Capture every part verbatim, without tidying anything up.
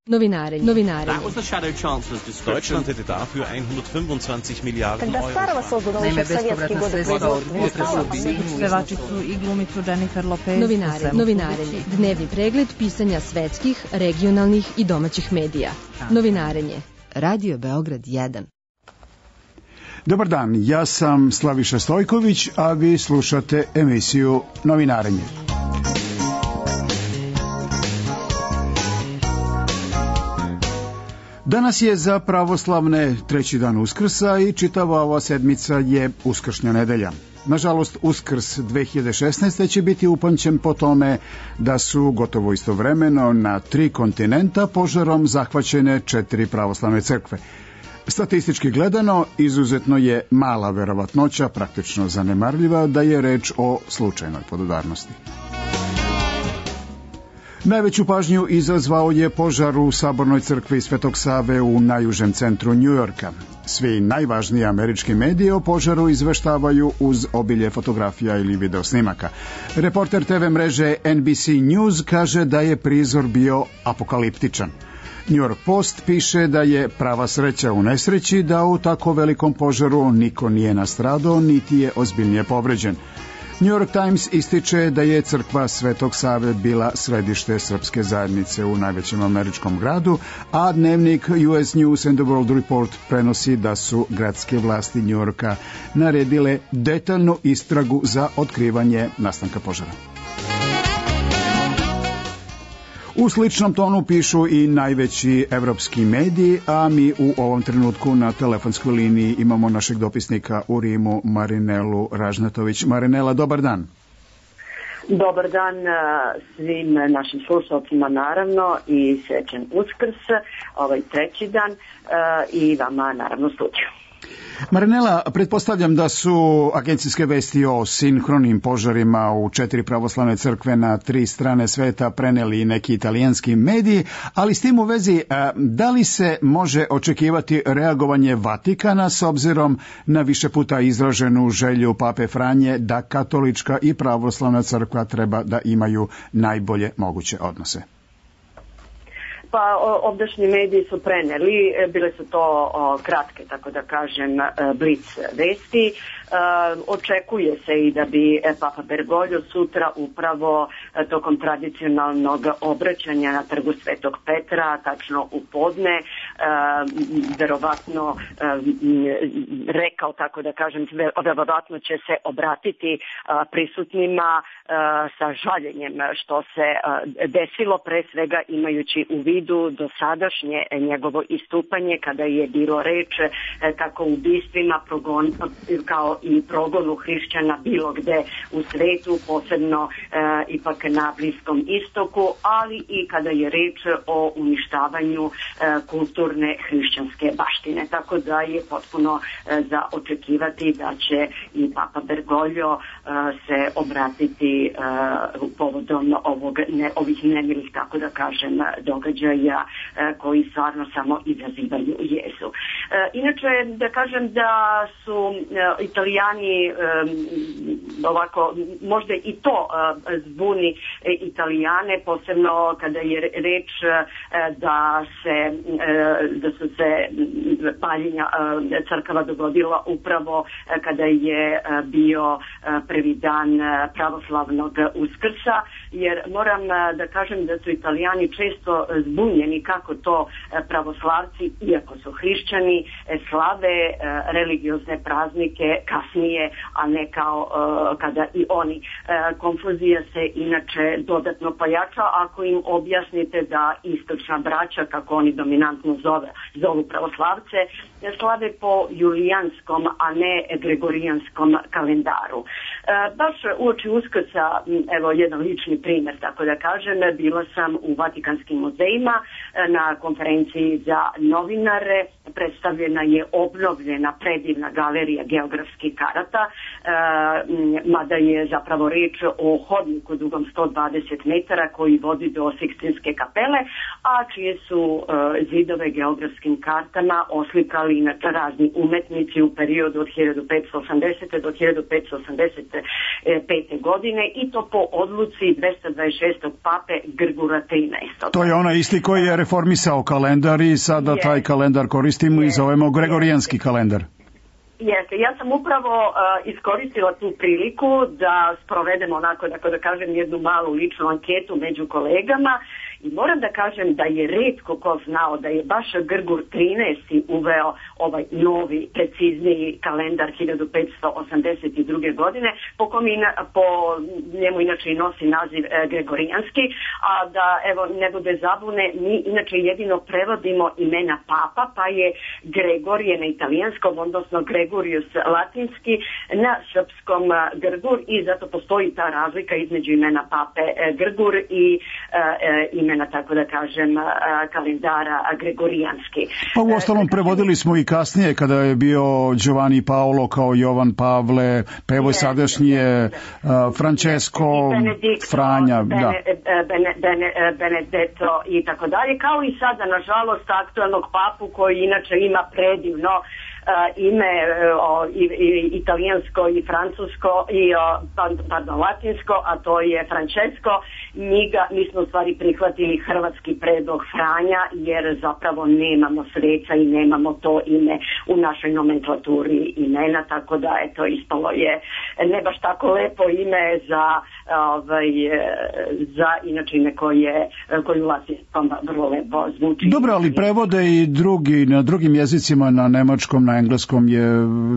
Novinarenje. Novinarenje. Deutschland hätte dafür hundertfünfundzwanzig Milliarden Euro. Naime, bespovratna sredstva od pevačicu i glumicu Jennifer Lopez. Novinarenje. Novinarenje. Dnevni pregled pisanja svetskih, regionalnih i domaćih medija. Novinarenje. Radio Beograd jedan. Dobar dan, ja sam Slaviša Stojković, a vi slušate emisiju Novinarenje. Danas je za pravoslavne treći dan Uskrsa i čitava ova sedmica je uskršnja nedelja. Nažalost, Uskrs dve hiljade šesnaeste. će biti upamćen po tome da su gotovo istovremeno na tri kontinenta požarom zahvaćene četiri pravoslavne crkve. Statistički gledano, izuzetno je mala verovatnoća, praktično zanemarljiva, da je reč o slučajnoj podudarnosti. Najveću pažnju izazvao je požar u Sabornoj crkvi Svetog Save u najužem centru Njujorka. Svi najvažniji američki mediji o požaru izveštavaju uz obilje fotografija ili videosnimaka. Reporter te ve mreže en bi si News kaže da je prizor bio apokaliptičan. New York Post piše da je prava sreća u nesreći da u tako velikom požaru niko nije nastradao niti je ozbiljnije povređen. New York Times ističe da je crkva Svetog Save bila središte srpske zajednice u najvećem američkom gradu, a dnevnik U S News and the World Report prenosi da su gradske vlasti New Yorka naredile detaljnu istragu za otkrivanje nastanka požara. U sličnom tonu pišu i najveći evropski mediji, a mi u ovom trenutku na telefonskoj liniji imamo našeg dopisnika u Rimu, Marinelu Ražnatović. Marinela, dobar dan. Dobar dan svim našim slušalcima naravno i srećan Uskrs, ovaj treći dan i vama naravno slučaju. Marinela, pretpostavljam da su agencijske vesti o sinhronim požarima u četiri pravoslavne crkve na tri strane sveta preneli i neki italijanski mediji, ali s tim u vezi, da li se može očekivati reagovanje Vatikana s obzirom na više puta izraženu želju Pape Franje da katolička i pravoslavna crkva treba da imaju najbolje moguće odnose? Pa ovdašnji mediji su preneli, bile su to o, kratke, tako da kažem, blic vesti. E, očekuje se i da bi Papa Bergoglio sutra upravo tokom tradicionalnog obraćanja na trgu Svetog Petra, tačno u podne, e, verovatno e, rekao, tako da kažem, verovatno će se obratiti a, prisutnima a, sa žaljenjem što se a, desilo, pre svega imajući u vidu do sadašnje njegovo istupanje kada je bilo reč kako ubistvima progon, kao i progonu hrišćana bilo gde u svetu, posebno e, ipak na Bliskom istoku, ali i kada je reč o uništavanju e, kulturne hrišćanske baštine. Tako da je potpuno e, za očekivati da će i Papa Bergoglio e, se obratiti e, povodom ovog, ne, ovih nemilih, tako da kažem, događaja koji stvarno samo izazivaju jezu. Inače, da kažem da su Italijani ovako, možda i to zbuni Italijane, posebno kada je reč da se da su se paljenja crkava dogodila upravo kada je bio prvi dan pravoslavnog Uskrsa, jer moram da kažem da su Italijani često zbunjeni kako to pravoslavci, iako su hrišćani, slave religiozne praznike kasnije, a ne kao kada i oni. Konfuzija se inače dodatno pojača ako im objasnite da istočna braća, kako oni dominantno zove, zovu pravoslavce, slave po julijanskom, a ne gregorijanskom kalendaru. Baš uoči Uskrsa, evo jedan lični primjer, tako da kažem, bila sam u Vatikanskim muzejima na konferenciji za novinare. Predstavljena je obnovljena predivna galerija geografskih karata, mada je zapravo reč o hodniku dugom sto dvadeset metara koji vodi do Sikstinske kapele, a čije su zidove geografskim kartama oslikali inače razni umetnici u periodu od hiljadu petsto osamdesete do hiljadu petsto osamdeset pete godine i to po odluci dvesta dvadeset šestog pape Grgura trinaestog. To je onaj isti koji je reformisao kalendar i sada yes. taj kalendar koristimo yes. i zovemo Gregorijanski yes. kalendar. Jeste, ja sam upravo uh, iskoristila tu priliku da sprovedemo onako, da, da kažem, jednu malu ličnu anketu među kolegama i moram da kažem da je retko ko znao da je baš Grgur trinaesti uveo ovaj novi, precizniji kalendar hiljadu petsto osamdeset druge godine, po, kom ina, po njemu inače i nosi naziv e, Gregorijanski, a da evo ne bude zabune, mi inače jedino prevodimo imena papa, pa je Gregorije na italijanskom, odnosno Gregorius latinski, na srpskom Grgur i zato postoji ta razlika između imena pape e, Grgur i e, imena na, tako da kažem, kalendara Gregorijanski. Pa u ostalom prevodili smo i kasnije kada je bio Giovanni Paolo kao Jovan Pavle, pa evo sadašnje Francesco, Franja, Bene, da. Bene, Bene, Benedetto i tako dalje, kao i sada nažalost aktualnog papu koji inače ima predivno Uh, ime uh, i, i, italijansko i francusko i uh, pardon, latinsko, a to je Francesco. Njega, mi smo u stvari prihvatili hrvatski predlog Franja jer zapravo nemamo sveca i nemamo to ime u našoj nomenklaturi imena, tako da eto ispalo je ne baš tako lepo ime za ovaj, za inače ime koje, koje u latinskom vrlo lepo zvuči. Dobro, ali prevode i drugi, na drugim jezicima, na nemačkom, na engleskom je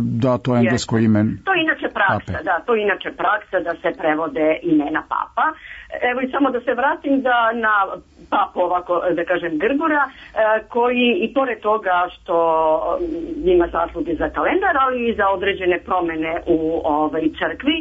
dato englesko ime. To je inače praksa, pape. Da, to je inače praksa da se prevode imena papa. Evo i samo da se vratim da na papu ovako, da kažem, Grgura, koji i pored toga što ima zasluge za kalendar, ali i za određene promene u ovaj, crkvi,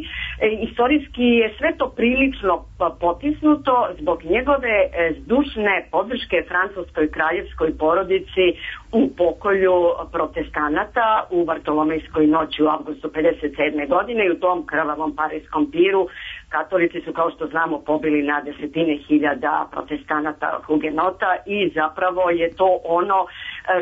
istorijski je sve to prilično potisnuto zbog njegove zdušne podrške francuskoj kraljevskoj porodici u pokolju protestanata u Vartolomejskoj noći u avgustu pedeset sedme godine i u tom krvavom parijskom piru katolici su, kao što znamo, pobili na desetine hiljada protestanata hugenota i zapravo je to ono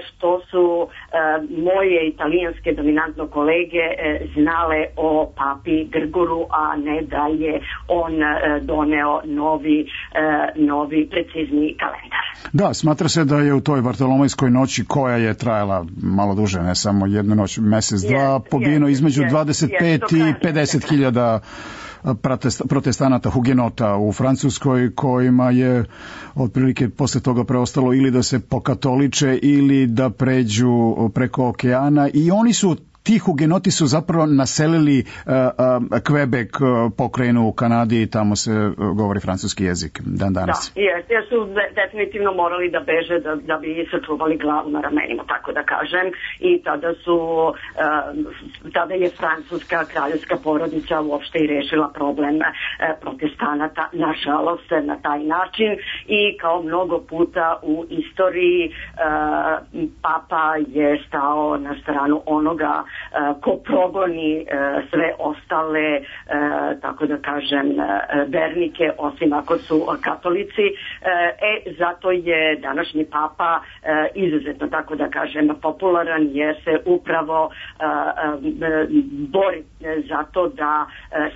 što su e, moje italijanske dominantno kolege e, znale o papi Grguru, a ne da je on e, doneo novi, e, novi precizni kalendar. Da, smatra se da je u toj Vartolomejskoj noći, koja je trajala malo duže, ne samo jednu noć, mesec, dva, yes, pobijeno yes, između yes, dvadeset pet yes, i pedeset hiljada protestanata hugenota u Francuskoj, kojima je otprilike posle toga preostalo ili da se pokatoliče ili da pređu preko okeana i oni su ti hugenoti su zapravo naselili uh, uh, Quebec, uh, pokrajinu u Kanadi i tamo se uh, govori francuski jezik dan danas. Da, jer, jer su de, definitivno morali da beže da, da bi sačuvali glavu na ramenima, tako da kažem, i tada su uh, tada je francuska kraljevska porodica uopšte i rešila problem uh, protestanata, nažalost, na taj način i kao mnogo puta u istoriji uh, papa je stao na stranu onoga ko progoni sve ostale, tako da kažem, vernike, osim ako su katolici. E, zato je današnji papa izuzetno, tako da kažem, popularan jer se upravo bori za to da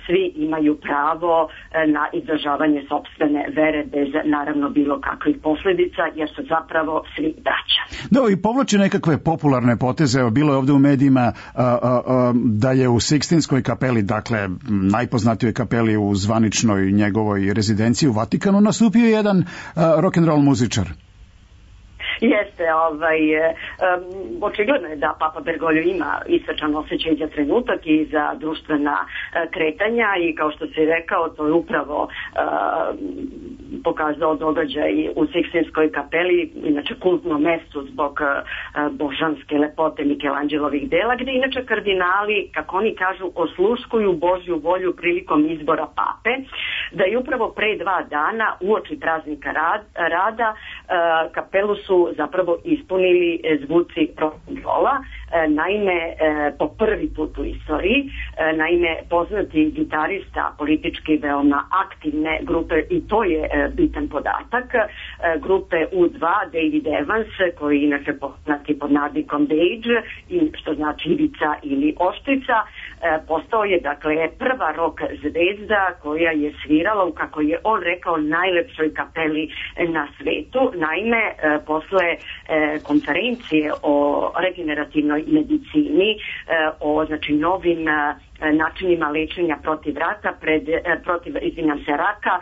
svi imaju pravo na izražavanje sopstvene vere bez naravno bilo kakvih posljedica, jer su zapravo svi braća. Da, i povlači nekakve popularne poteze, bilo je ovdje u medijima a, a, a, da je u Sikstinskoj kapeli, dakle najpoznatijoj kapeli u zvaničnoj njegovoj rezidenciji u Vatikanu, nastupio jedan rock'n'roll muzičar. Jeste, ovaj, um, očigledno je da Papa Bergoglio ima isvečan osjećaj za trenutak i za društvena uh, kretanja i kao što si rekao, to je upravo uh, pokazao događaj u Sikstinskoj kapeli, inače kultno mesto zbog uh, božanske lepote Mikelanđelovih dela, gde inače kardinali, kako oni kažu, osluškuju Božju volju prilikom izbora pape, da je upravo pre dva dana uoči praznika rad, rada uh, kapelu su zapravo ispunili zvuci rock'n'rolla. Naime, po prvi put u istoriji, naime, poznati gitarista, politički veoma aktivne grupe, i to je bitan podatak, grupe U dva, David Evans, koji inače poznati pod nadnikom Dage, što znači ivica ili oštrica, postao je, dakle, prva rock zvezda koja je svirala u, kako je on rekao, najlepšoj kapeli na svetu. Naime, posle konferencije o regenerativnoj medicini, o, znači, novim načinima lečenja protiv raka, pred, protiv, izvinjam se, raka,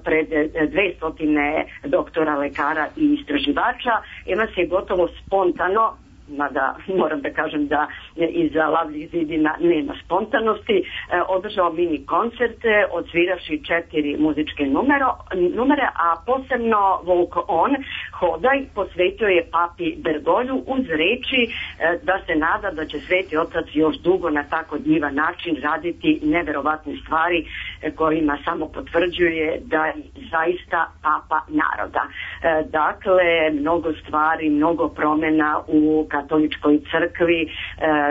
pred dvestotine doktora, lekara i istraživača, Evans je gotovo spontano, mada moram da kažem da iza lavnih zidina nema spontanosti, održao mini koncerte, odsviravši četiri muzičke numero, numere, a posebno Walk On, Hodaj, posvetio je papi Bergolju uz reči da se nada da će Sveti Otac još dugo na tako divan način raditi neverovatne stvari kojima samo potvrđuje da je zaista papa naroda. Dakle, mnogo stvari, mnogo promjena u katoličkoj crkvi,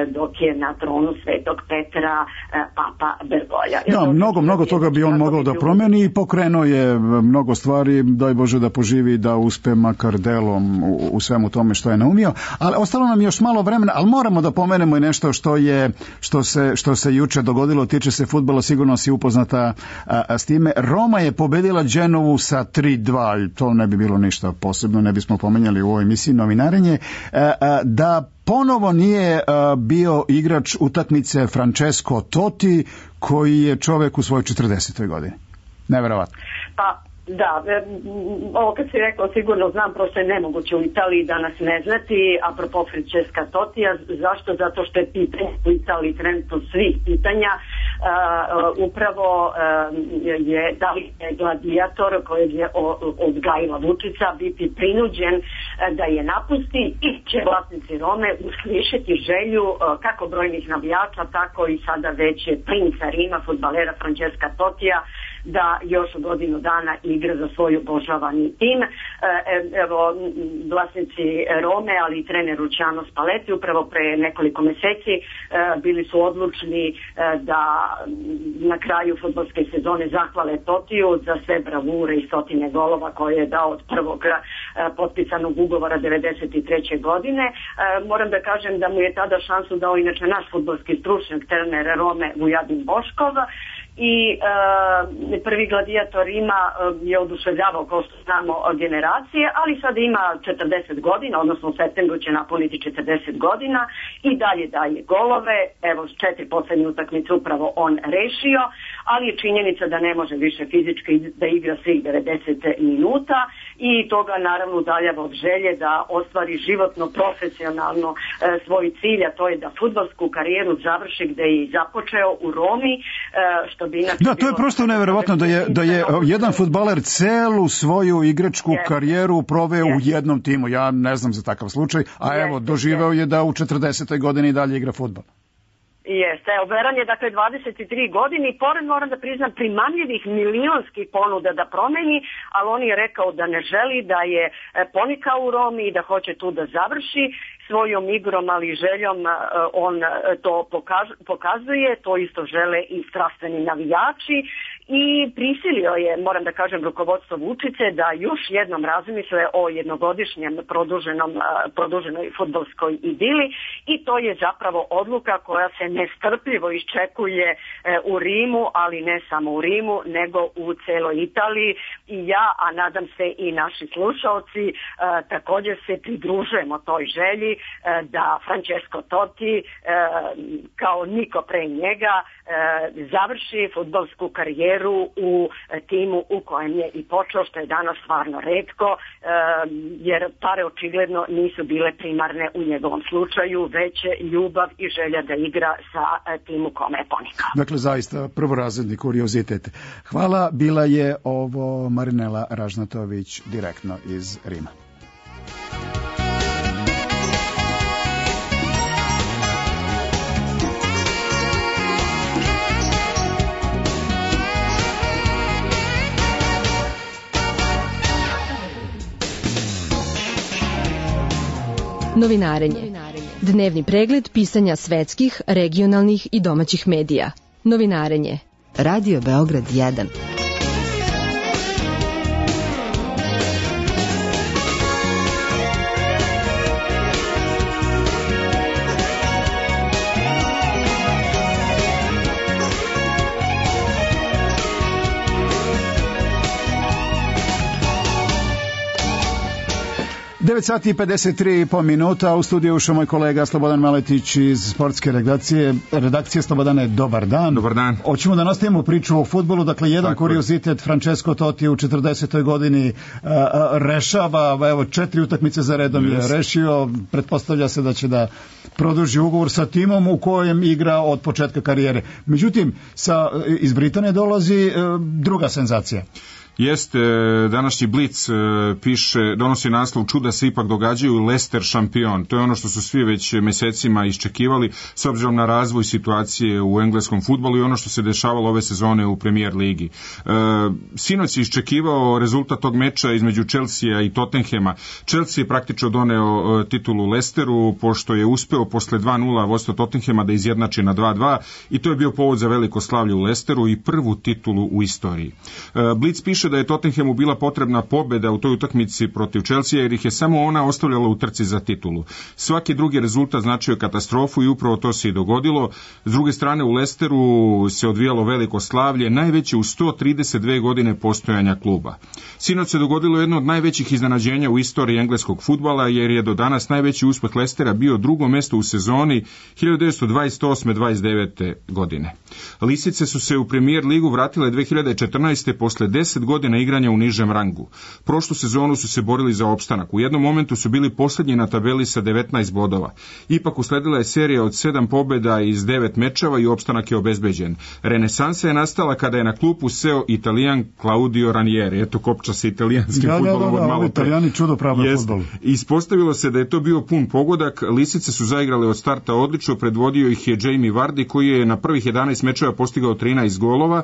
dok je na tronu Svetog Petra papa Bergolja. Da, mnogo, mnogo toga bi on mogao da promeni i pokrenuo je mnogo stvari, daj Bože da poživi, da uspe makar delom u, u svemu tome što je naumio, ali ostalo nam još malo vremena, ali moramo da pomenemo i nešto što je, što se, što se juče dogodilo, tiče se fudbala, sigurno si upoznata a, a, s time. Roma je pobedila Genovu sa tri dva, i to ne bi bilo ništa posebno, ne bismo pomenjali u ovoj emisiji Novinarenje, a, a, da ponovo nije a, bio igrač utakmice Francesco Totti, koji je čovek u svojoj četrdesetoj godini. Neverovatno. Pa, da, ovo kad si rekao sigurno znam, prosto je nemoguće u Italiji danas ne znati, apropo Francesca Tottija. Zašto? Zato što je pitanje u Italiji trenutno svih pitanja. Uh, upravo uh, je da li je gladijator kojeg je odgajila Vučica biti prinuđen uh, da je napusti, i će vlasnici Rome uslišiti želju uh, kako brojnih navijača, tako i sada već princa Rima, fudbalera Francesca Tottija, da još godinu dana igra za svoj obožavani tim. Evo, vlasnici Rome, ali i trener Luciano Spalletti upravo pre nekoliko meseci bili su odlučni da na kraju fudbalske sezone zahvale Tottiju za sve bravure i stotine golova koje je dao od prvog potpisanog ugovora devedeset treće godine. Moram da kažem da mu je tada šansu dao inače naš fudbalski stručnjak, trener Rome Vujadin Boškov, i e, prvi gladijator ima e, je oduševljavao, kao što znamo, generacije, ali sad ima četrdeset godina, odnosno u septembru će napuniti četrdeset godina i dalje daje golove. Evo, četiri poslednje utakmice upravo on rešio, ali je činjenica da ne može više fizički da igra svih devedeset minuta i toga naravno udaljava od želje da ostvari životno, profesionalno e, svoj cilj, a to je da fudbalsku karijeru završi gde je i započeo u Romi, e, što bi inače... Da, to je prosto neverovatno da je, da je jedan fudbaler celu svoju igračku yes. karijeru proveo yes. u jednom timu. Ja ne znam za takav slučaj, a yes. evo, doživeo yes. je da u četrdesetoj godini dalje igra fudbal. Jeste, evo, Veran je dakle dvadeset tri godine i pored, moram da priznam, primamljivih milionskih ponuda da promeni, ali on je rekao da ne želi, da je ponikao u Romi i da hoće tu da završi svojom igrom, ali i željom. On to pokazuje, to isto žele i strastveni navijači i prisilio je, moram da kažem, rukovodstvo Vučice da još jednom razmisle o jednogodišnjem produženom, produženoj fudbalskoj idili i to je zapravo odluka koja se nestrpljivo iščekuje u Rimu, ali ne samo u Rimu, nego u celoj Italiji. I ja, a nadam se i naši slušalci, također se pridružujemo toj želji da Francesco Totti, kao niko pre njega, završi fudbalsku karijeru u timu u kojem je i počeo, što je danas stvarno retko, jer pare očigledno nisu bile primarne u njegovom slučaju, već ljubav i želja da igra sa timu kome je ponikao. Dakle, zaista prvorazredni kuriozitet. Hvala, bila je ovo Marinela Ražnatović direktno iz Rima. Novinarenje. Dnevni pregled pisanja svetskih, regionalnih i domaćih medija. Novinarenje. Radio Beograd jedan. devet sati i pedeset tri i po minuta, u studiju ušao moj kolega Slobodan Maletić iz sportske redakcije. Redakcije Slobodane, dobar dan. Dobar dan. Hoćemo da nastavimo priču o fudbalu, dakle jedan Tako kuriozitet, Francesco Totti u četrdesetoj godini a, a, rešava, evo četiri utakmice za redom yes. je rešio, pretpostavlja se da će da produži ugovor sa timom u kojem igra od početka karijere. Međutim, sa, iz Britanije dolazi a, druga senzacija. Jeste, današnji Blic piše, donosi naslov čuda se ipak događaju, Leicester šampion. To je ono što su svi već mesecima iščekivali s obzirom na razvoj situacije u engleskom fudbalu i ono što se dešavalo ove sezone u Premier ligi. E, sinoć je iščekivao rezultat tog meča između Chelsea i Tottenhema. Chelsea je praktično doneo e, titulu Leicesteru pošto je uspeo posle dva nula vodstva Tottenhema da izjednači na dva dva i to je bio povod za veliko slavlje u Leicesteru i prvu titulu u istoriji. E, Blic piše da je Tottenhamu bila potrebna pobjeda u toj utakmici protiv Chelsea jer ih je samo ona ostavljala u trci za titulu. Svaki drugi rezultat značio katastrofu i upravo to se i dogodilo. S druge strane u Leicesteru se odvijalo veliko slavlje, najveće u sto trideset dve godine postojanja kluba. Sinoć se dogodilo jedno od najvećih iznenađenja u istoriji engleskog fudbala jer je do danas najveći uspeh Leicestera bio drugo mesto u sezoni hiljadu devetsto dvadeset osme dvadeset devete godine. Lisice su se u Premier ligu vratile dve hiljade četrnaeste posle deset godina igranja u nižem rangu. Prošlu sezonu su se borili za opstanak. U jednom momentu su bili posljednji na tabeli sa devetnaest bodova. Ipak usledila je serija od sedam pobjeda iz devet mečeva i opstanak je obezbeđen. Renesansa je nastala kada je na klupu seo Italijan Claudio Ranieri. Eto kopča se italijanskim da, fudbalom da, da, od malo pre. Italijani čudo prave fudbal. Ispostavilo se da je to bio pun pogodak. Lisice su zaigrale od starta odlično, predvodio ih je Jamie Vardy koji je na prvih jedanaest mečeva postigao trinaest golova.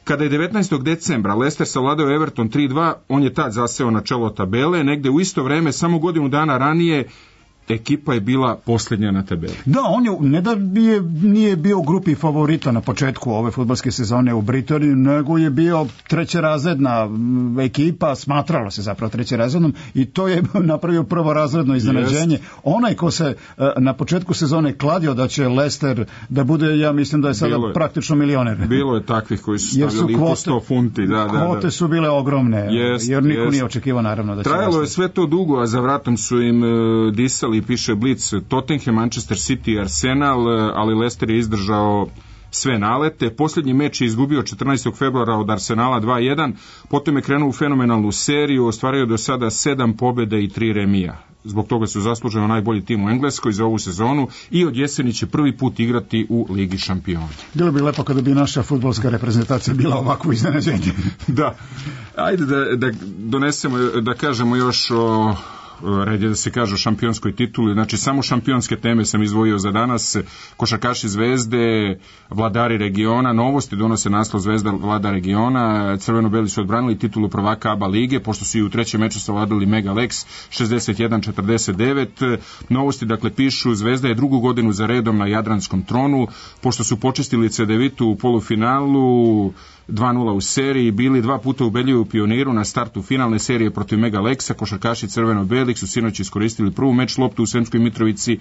Kada je devetnaestog decembra Leicester savladao Everton tri dva, on je tad zaseo na čelo tabele, negde u isto vreme, samo godinu dana ranije, ekipa je bila posljednja na tabeli. Da, on je, ne da je, nije bio u grupi favorita na početku ove fudbalske sezone u Britaniji, nego je bio trećerazredna ekipa, smatralo se zapravo trećerazrednom i to je napravio prvorazredno iznenađenje. Yes. Onaj ko se na početku sezone kladio da će Leicester da bude, ja mislim da je sada je, praktično milioner. Bilo je takvih koji su stavljali po sto funti. Da, da, kvote da. su bile ogromne, yes, jer niko yes. nije očekivao naravno da će Trajalo Leicester. je sve to dugo, a za vratom su im uh, disali i piše Blic, Tottenham, Manchester City, Arsenal, ali Leicester je izdržao sve nalete. Posljednji meč je izgubio četrnaestog februara od Arsenala dva jedan, potom je krenuo u fenomenalnu seriju, ostvario do sada sedam pobjeda i tri remija. Zbog toga su zasluženo najbolji tim u Engleskoj za ovu sezonu i od jeseni će prvi put igrati u Ligi šampiona. Bilo bi lepo kada bi naša fudbalska reprezentacija bila ovako iznenađenje. Da. Ajde da, da donesemo, da kažemo još o red je da se kaže o šampionskoj tituli, znači samo šampionske teme sam izdvojio za danas, košarkaši Zvezde, vladari regiona, novosti donose naslov Zvezda vlada regiona, crveno-beli su odbranili titulu prvaka A B A lige, pošto su i u trećem meču savladali Mega Lex šezdeset jedan četrdeset devet, novosti dakle pišu Zvezda je drugu godinu za redom na Jadranskom tronu, pošto su počistili Cedevitu u polufinalu, dva nula u seriji, bili dva puta ubedljivi u Pioniru na startu finalne serije protiv Mega Lexa, košarkaši crveno-belih su sinoć iskoristili prvu meč loptu u Sremskoj Mitrovici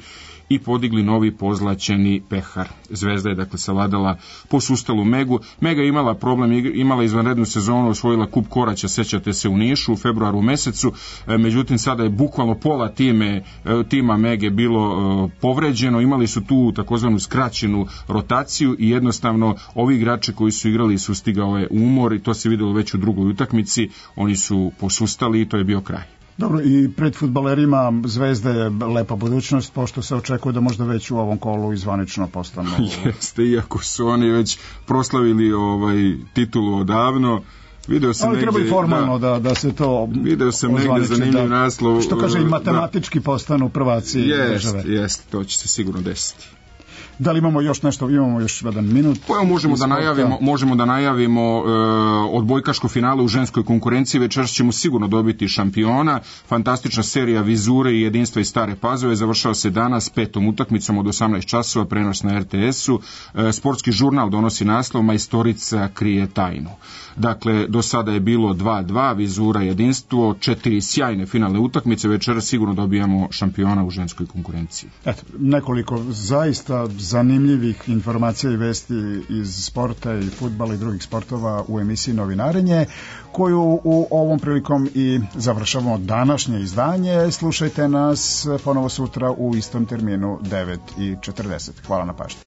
i podigli novi pozlaćeni pehar. Zvezda je dakle savladala posustalu Megu. Mega je imala problem, imala izvanrednu sezonu, osvojila kup Koraća, sećate se, u Nišu u februaru mesecu, međutim sada je bukvalno pola time, tima Mege bilo povređeno, imali su tu takozvanu skraćenu rotaciju i jednostavno ovi igrači koji su igrali su stigao je umor i to se vidjelo već u drugoj utakmici, oni su posustali i to je bio kraj. Dobro, i pred fudbalerima Zvezde je lepa budućnost, pošto se očekuje da možda već u ovom kolu izvanično postanu. Jeste, iako su oni već proslavili ovaj titulu odavno. Video sam ali negdje, treba i formalno da, da se to video sam negdje zanimljiv da, naslov. Što kaže i matematički da postanu prvaci jest, države. Jeste, to će se sigurno desiti. Da li imamo još nešto, imamo još jedan minut? Pa evo možemo da najavimo, možemo da najavimo e, odbojkaško finale u ženskoj konkurenciji, večeras ćemo sigurno dobiti šampiona. Fantastična serija Vizure i Jedinstva iz Stare Pazove završava se danas petom utakmicom od osamnaest časova, prenos na er te esu. E, sportski žurnal donosi naslov Majstorica krije tajnu. Dakle, do sada je bilo dva dva, Vizura, Jedinstvo, četiri sjajne finalne utakmice, večeras sigurno dobijamo šampiona u ženskoj konkurenciji. Eto, nekoliko zaista zanimljivih informacija i vesti iz sporta i fudbala i drugih sportova u emisiji Novinarenje, koju u ovom prilikom i završavamo današnje izdanje. Slušajte nas ponovo sutra u istom terminu devet i četrdeset. Hvala na pažnji.